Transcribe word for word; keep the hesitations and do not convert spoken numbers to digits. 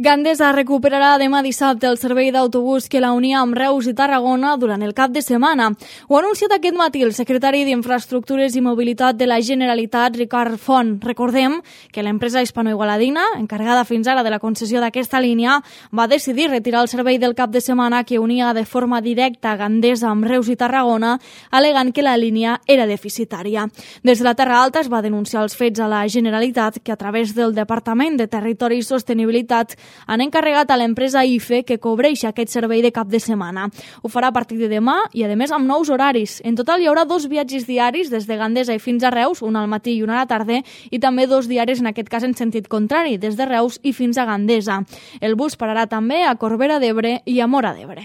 Gandesa recuperarà demà dissabte el servei d'autobús que la unia amb Reus i Tarragona durant el cap de setmana. Ho ha anunciat aquest matí el secretari d'Infraestructures i Mobilitat de la Generalitat, Ricard Font. Recordem que l'empresa hispano-igualadina, encarregada fins ara de la concessió d'aquesta línia, va decidir retirar el servei del cap de setmana que unia de forma directa Gandesa amb Reus i Tarragona, alegant que la línia era deficitària. Des de la Terra Alta es va denunciar els fets a la Generalitat, que a través del Departament de Territori i Sostenibilitat han encarregat a l'empresa I F E que cobreixi aquest servei de cap de setmana. Ho farà a partir de demà i, a més, amb nous horaris. En total hi haurà dos viatges diaris des de Gandesa i fins a Reus, un al matí i un a la tarda, i també dos diaris, en aquest cas en sentit contrari, des de Reus i fins a Gandesa. El bus pararà també a Corbera d'Ebre i a Móra d'Ebre.